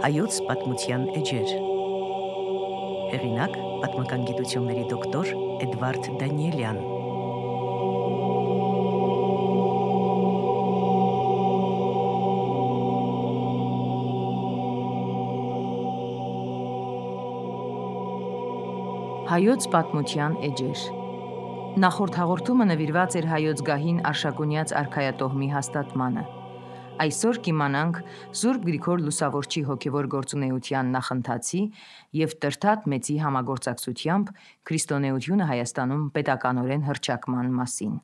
Հայոց պատմության էջեր։ Հեղինակ պատմական գիտությունների դոկտոր Էդվարդ Դանիելյան։ Հայոց պատմության էջեր։ Նախորդ հաղորդումը նվիրված էր հայոց գահին Արշակունյաց արքայատոհմի հաստատմանը։ Այսօր կիմանանք Սուրբ Գրիգոր Լուսավորչի հոգևոր գործունեության նախընթացի և Տրդատ Մեծի համագործակցությամբ քրիստոնեությունը Հայաստանում պետականորեն հռչակման մասին։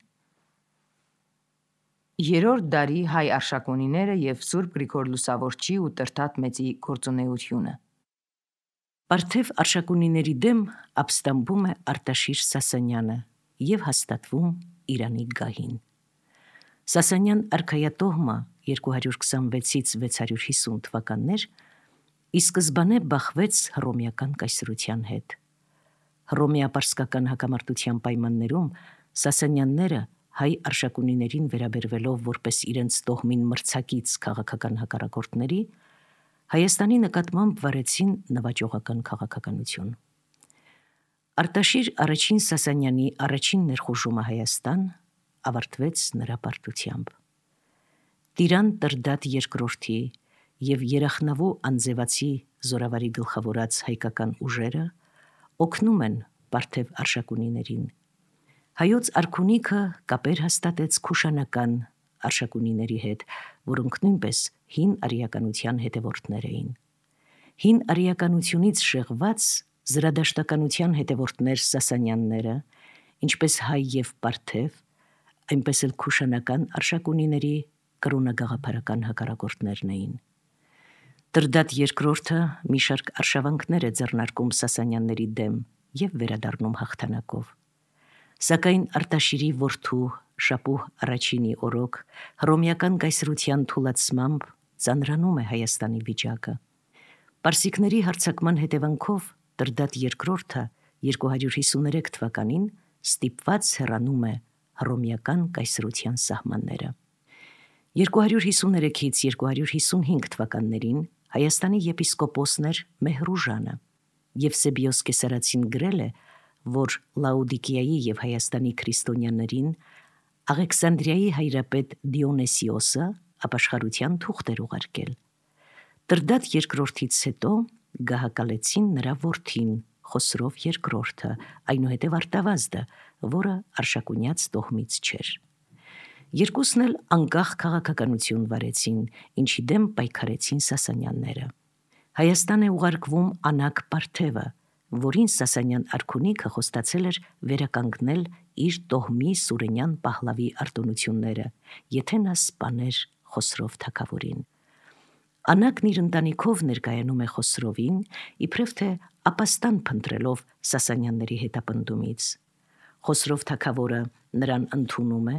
Երրորդ դարի հայ արշակունիները և Սուրբ Գրիգոր Լուսավորչի ու Տրդատ Մեծի գործունեությունը։ Պարթև արշակունիների դեմ ապստամբում է Արտաշիր Սասանյանը և հաստատվում Իրանի գահին։ Սասանյան արքայատոհմը 226-ից 650 թվականներ ի սկզբանե բախվեց հռոմեական կայսրության հետ։ Հռոմեապարսկական հակամարտության պայմաններում Սասանյանները հայ արշակունիներին վերաբերվելով որպես իրենց տոհմին մրցակից քաղաքական հակառակորդների Հայաստանի նկատմամբ վարեցին նվաճողական քաղաքականություն։ Արտաշիր առաջին Սասանյանի առաջին ներխուժումը Հայաստան ավարտվեց նրա պարտությամբ։ Տիրան Տրդատ II և Երախնավու Անձևացի զորավարի գլխավորած հայկական ուժերը օգնում են պարթև արշակունիներին։ Հայոց արքունիքը կապեր հաստատեց քուշանական արշակունիների հետ, որոնք նույնպես հին արիականության հետևորդներ էին։ Հին արիականությունից շեղված զրադաշտականության հետևորդներ Սասանյանները, ինչպես հայ և պարթև, այնպես էլ քուշանական արշակունիների կրոնագաղափարական հակառակորդներն էին։ Տրդատ II մի շարք արշավանքներ է ձեռնարկում Սասանյանների դեմ և վերադառնում հաղթանակով։ Սակայն Արտաշիրի որդու Շապուհ I-ի օրոք հռոմեական կայսրության թուլացմամբ ծանրանում է Հայաստանի վիճակը։ Պարսիկների հարձակման հետևանքով Տրդատ II 253 թվականին ստիպված հեռանում է հռոմեական կայսրության սահմանները։ 253-ից 255 թվականներին Հայաստանի եպիսկոպոսն էր Մեհրուժանը, Եվսեբիոս Կեսարացին գրել է, որ Լաուդիկիայի և Հայաստանի քրիստոնյաներին Աղեքսանդրիայի հայրապետ Դիոնեսիոսը ապաշխարության թուղթ էր ուղարկել։ Տրդատ II-ից հետո գահակալեցին նրա որդին Խոսրով II, այնուհետև Արտավազդը, որը արշակունյաց տոհմից չէր։ Երկուսն էլ անկախ քաղաքականություն վարեցին, ինչի դեմ պայքարեցին Սասանյանները։ Հայաստան է ուղարկվում Անակ Պարթևը, որին Սասանյան արքունիքը խոստացել էր վերականգնել իր տոհմի Սուրենյան պահլավի արտոնությունները, եթե նա սպաներ Խոսրով թագավորին։ Անակն իր ընտանիքով ներկայանում է Խոսրովին, իբրև թե ապաստան փնտրելով Սասանյանների հետապնդումից։ Խոսրով թագավորը նրան ընդունում է,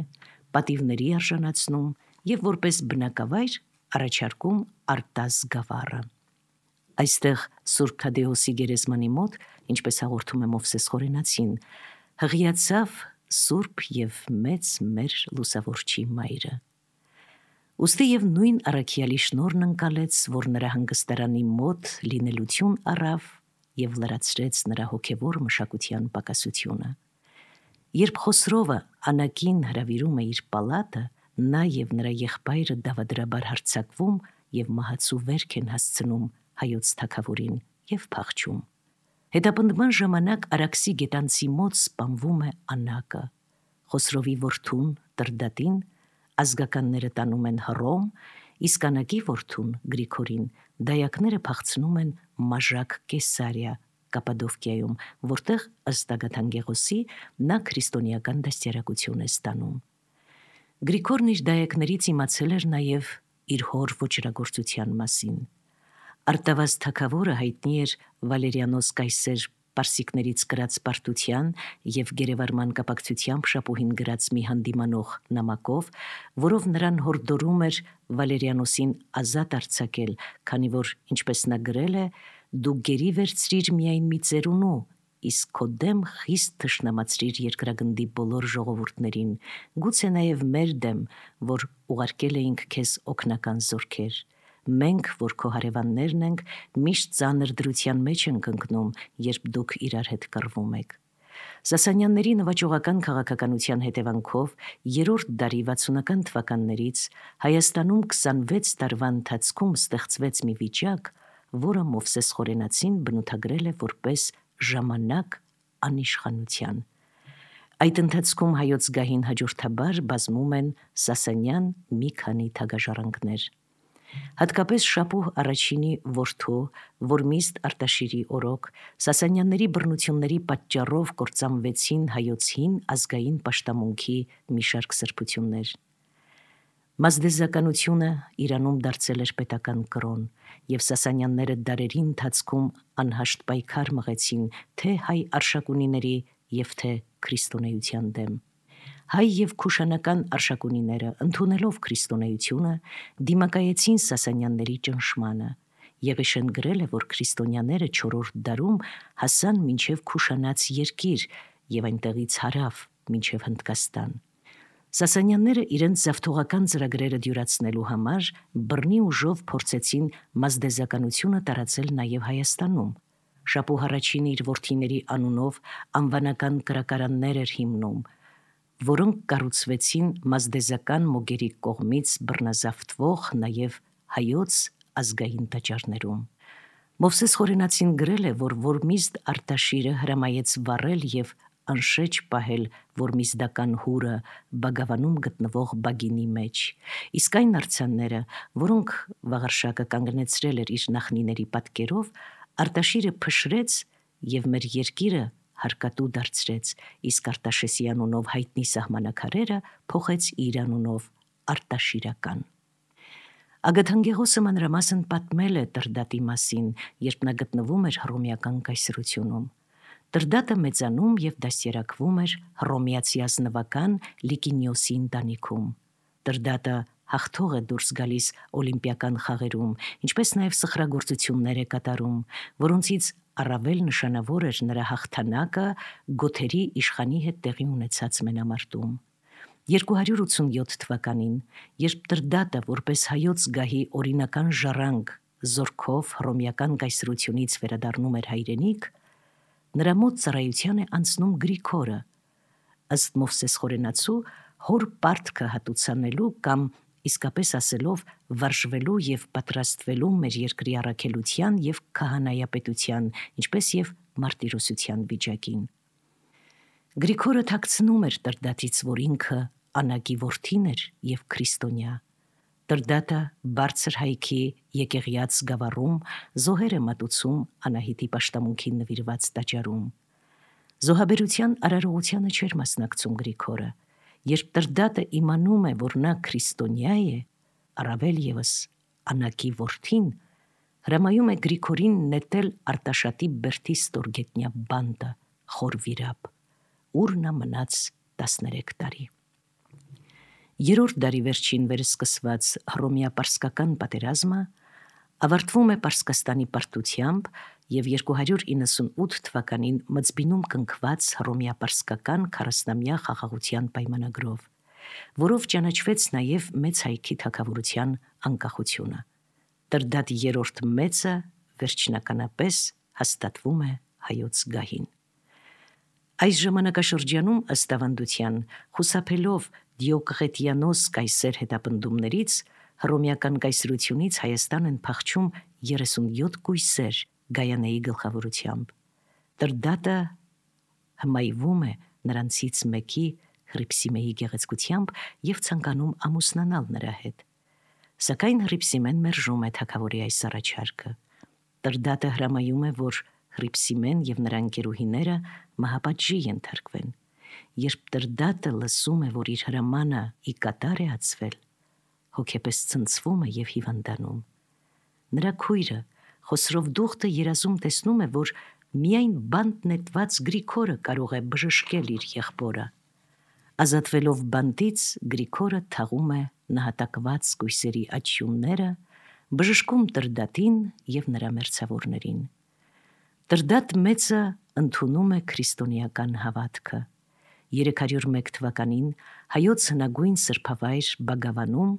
պատիվների արժանացնում և որպես բնակավայր առաջարկում Արտազ գավառը։ Այստեղ Սուրբ Թադեոսի գերեզմանի մոտ, ինչպես հաղորդում է Մովսես Խորենացին, հղիացավ Սուրբ և մեծ մեր Լուսավորչի մայրը։ Ուստի և նույն առաքյալի շնորհն ընկալեց, որ նրա հանգստարանի մոտ լինելություն առավ և լրացրեց նրա հոգևոր մշակության պակասությունը։ Երբ Խոսրովը Անակին հրավիրում է իր պալատը, նա և նրա եղբայրը դավադրաբար հարձակվում և մահացու վերք են հասցնում հայոց թագավորին և փախչում։ Հետապնդման ժամանակ Արաքսի գետանցի մոտ սպանվում է Անակը։ Խոսրովի որդուն Տրդատին ազգականները տանում են Հռոմ, իսկ Անակի որդուն Գրիգորին դայակները փախցնում են Մաժակ Կեսարիա, Կապադովկիայում, որտեղ ըստ Ագաթանգեղոսի նա քրիստոնեական դաստիարակություն է ստանում։ Գրիգորն իր դայակներից իմացել էր նաև իր հոր ոճրագործության մասին։ Արտավազդ թագավորը հայտնի էր Վալերիանոս կայսեր պարսիկներից կրած պարտության և գերեվարման կապակցությամբ Շապուհին գրած մի հանդիմանող նամակով, որով նրան հորդորում էր Վալերիանոսին ազատ արձակել, քանի որ, ինչպես նա գրել է, «Դու գերի վերցրիր միայն մի ծերունու, իսկ քո դեմ խիստ թշնամացրիր երկրագնդի բոլոր ժողովուրդներին, գուցե նաև մեր դեմ, որ ուղարկել էինք քեզ օգնական զորքեր, մենք, որ քո հարևաններն ենք, միշտ ծանր դրության մեջ ենք ընկնում, երբ դուք իրար հետ կռվում եք։ Սասանյանների նվաճողական քաղաքականության հետևանքով 3-րդ դարի 60-ական թվականներից Հայաստանում 26 տարվա ընթացքում ստեղծվեց մի վիճակ, որը Մովսես Խորենացին բնութագրել է որպես ժամանակ անիշխանության։ Այդ ընթացքում հայոց գահին հաջորդաբար բազմում են Սասանյան մի քանի թագաժառանգներ։ Հատկապես Շապուհ առաջինի որդու Որմիստ Արտաշիրի օրոք Սասանյանների բռնությունների պատճառով կործանվեցին հայոց հին ազգային պաշտամունքի մի շարք սրբություններ։ Մազդեզականությունը Իրանում դարձել էր պետական կրոն, և Սասանյանները դարերի ընթացքում անհաշտ պայքար մղեցին թե հայ արշակունիների և թե քրիստոնեության դեմ։ Հայ և քուշանական արշակունիները, ընդունելով քրիստոնեությունը, դիմակայեցին Սասանյանների ճնշմանը։ Եղիշեն գրել է, որ քրիստոնյաները 4-րդ դարում հասան մինչև Քուշանաց երկիր և այնտեղից հարավ մինչև Հնդկաստան։ Սասանյանները իրենց զավթողական ծրագրերը դյուրացնելու համար բռնի ուժով փորձեցին մազդեզականությունը տարածել նաև Հայաստանում։ Շապուհ առաջինը իր որդիների անունով անվանական կրակարաններ էր հիմնում, որոնք կառուցվեցին մազդեզական մոգերի կողմից բռնազավթվող նաև հայոց ազգային տաճարներում։ Մովսես Խորենացին գրել է, որ Որմիստ Արտաշիրը հրամայեց վառել և անշեջ պահել որմիզդական հուրը Բագավանում գտնվող բագինի մեջ, իսկ այն արձանները, որոնք Վաղարշակը կանգնեցրել էր իր նախնիների պատկերով, Արտաշիրը փշրեց և մեր երկիրը հարկատու դարձրեց, իսկ Արտաշեսի անունով հայտնի սահմանակարերը փոխեց իր անունով Արտաշիրական։ Ագաթանկեղոսը մանրամասն պատմել է Տրդատի մասին, երբ նա գտնվում էր հռոմեական կայսրությունում։ Տրդատը մեծանում և դաստիարակվում էր հռոմեացի ազնվական Լիկինիոսի ընտանիքում։ Տրդատը հաղթող է դուրս գալիս օլիմպիական խաղերում, ինչպես նաև սխրագործություններ է կատարում, որոնցից առավել նշանավոր էր նրա հաղթանակը գոթերի իշխանի հետ տեղի ունեցած մենամարտում։ 287 թվականին, երբ Տրդատը որպես հայոց գահի օրինական ժառանգ զորքով հռոմեական կայսրությունից վերադառնում էր հայրենիք, նրա մոտ ծառայության է անցնում Գրիգորը, ըստ Մովսես Խորենացու, հոր պարտքը հատուցանելու կամ իսկապես ասելով վարժվելու և պատրաստվելու մեր երկրի առաքելության և քահանայապետության, ինչպես և մարտիրոսության վիճակին։ Գրիգորը թաքցնում էր Տրդատից, որ ինքը Անակի որդին էր և քրիստոնյա։ Տրդատը բարձր հայքի եկեղյաց գավառում զոհեր է մատուցում Անահիտի պաշտամունքին նվիրված տաճարում։ Զոհաբերության արարողությանը չէր մասնակցում Գրիգորը։ Երբ Տրդատը իմանում է, որ նա քրիստոնյա է, առավել ևս Անակի որդին, հրամայում է Գրիգորին նետել Արտաշատի բերդի ստորգետնյա բանտը խոր վիրապ, ուր նա մնաց 13 տարի։ 3-րդ դարի վերջին վերսկսված հռոմեա-պարսկական պատերազմը ավարտվում է Պարսկաստանի պարտությամբ և 298 թվականին Մծբինում կնքված հռոմեա-պարսկական 40-ամյա խաղաղության պայմանագրով, որով ճանաչվեց նաև Մեծ հայքի թագավորության անկախությունը։ Տրդատ III մեծը վերջնականապես հաստատվում է հայոց գահին։ Այս ժամանակաշրջանում, ըստ ավանդության, խուսափելով Դիոկլետիանոս կայսեր հետապնդումներից, հռոմեական կայսրությունից Հայաստան են փախչում 37 կույսեր Գայանեի գլխավորությամբ։ Տրդատը հմայվում է նրանցից մեկի Հռիփսիմեի գեղեցկությամբ և ցանկանում ամուսնանալ նրա հետ։ Սակայն Հռիփսիմեն մերժում է թագավորի այս առաջարկը։ Տրդատը հրամայում է, որ Հռիփսիմեն և նրա ընկերուհիները մահապատժի ենթարկվեն։ Երբ Տրդատը լսում է, որ իր հրամանը ի կատար է ածվել, հոգեպես ցնցվում է և հիվանդանում։ Նրա քույրը Խոսրովդուխտը երազում տեսնում է, որ միայն բանտ նետված Գրիգորը կարող է բժշկել իր եղբորը։ Ազատվելով բանտից, Գրիգորը թաղում է նահատակված կույսերի աչյունները, բժշկում Տրդատին և նրա մերձավորներին։ Տրդատ մեծը ընդունում է քրիստոնեական հավատքը։ 301 թվականին հայոց հնագույն սրբավայր Բագավանում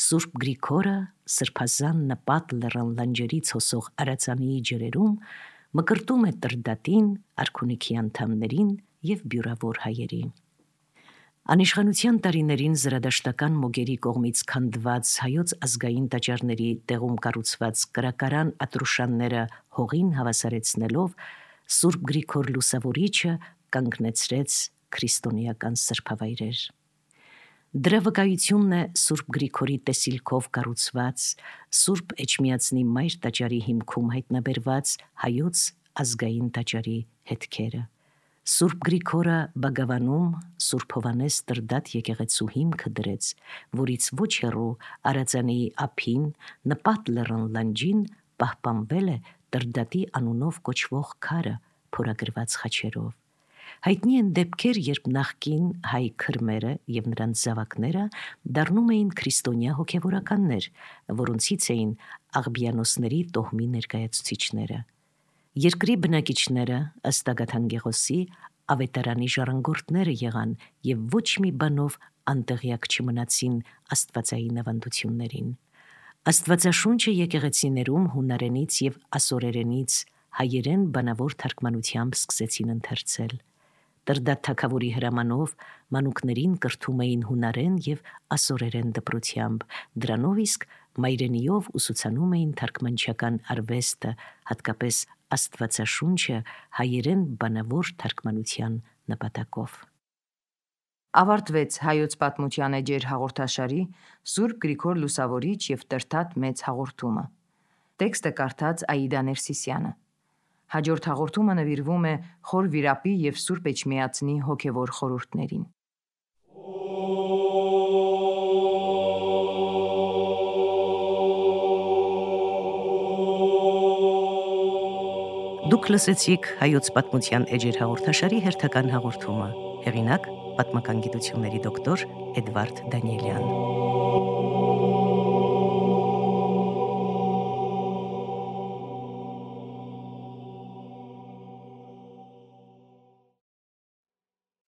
Սուրբ Գրիգորը սրբազան նպատ լեռան լանջերից հոսող արածանիի ջրերում մկրտում է Տրդատին, արքունիքի անդամներին և բյուրավոր հայերի։ Անիշխանության տարիներին զրադաշտական մոգերի կողմից քանդված հայոց ազգային տաճարների տեղում կառուցված կրակարան ատրուշանները հողին հավասարեցնելով Սուրբ Գրիգոր Լուսավորիչը կանգնեցրեց քրիստոնեական սրբավայրեր։ Դրա վկայությունն է Սուրբ Գրիգորի տեսիլքով կառուցված Սուրբ Էջմիածնի մայր տաճարի հիմքում հայտնաբերված հայոց ազգային տաճարի հետքերը։ Սուրբ Գրիգորը Բագավանում Սուրբ Հովհաննես Տրդատ եկեղեցու հիմքը դրեց, որից ոչ հեռու Արածանիի ափին նպատ լեռան լանջին պահպանվել է Տրդատի անունով կոչվող քարը փորագրված խաչերով։ Հայտնի են դեպքեր, երբ նախկին հայ քրմերը և նրանց զավակները դառնում էին քրիստոնյա հոգևորականներ, որոնցից էին աղբիանոսների տոհմի ներկայացուցիչները։ Երկրի բնակիչները ըստ Ագաթան Գեղոսի ավետարանի ժառանգորդները եղան և ոչ մի բանով անտեղյակ չմնացին աստվածային ավանդություններին։ Աստվածաշունչը եկեղեցիներում հունարենից և ասորերենից հայերեն բանավոր թարգմանությամբ սկսեցին ընթերցել։ Տրդատ թագավորի հրամանով մանուկներին կրթում էին հունարեն և ասորերեն դպրոցությամբ, դրանով իսկ մայրենիով ուսուցանում էին թարգմանչական արվեստը, հատկապես Աստվածաշունչը հայերեն բանավոր թարգմանության նպատակով։ Ավարտվեց Հայոց պատմության էջեր հաղորդաշարի Սուրբ Գրիգոր Լուսավորիչ և Տրդատ մեծ հաղորդումը։ Տեքստը կարդաց Աիդա Ներսիսյանը։ Հաջորդ հաղորդումը նվիրվում է Խոր Վիրապի և Սուրբ Էջմիածնի հոգևոր խորհուրդներին։ Դուք լսեցիք Հայոց պատմության էջեր հաղորդաշարի հերթական հաղորդումը։ Հեղինակ՝ պատմական գիտությունների դոկտոր Էդվարդ Դանիելյան։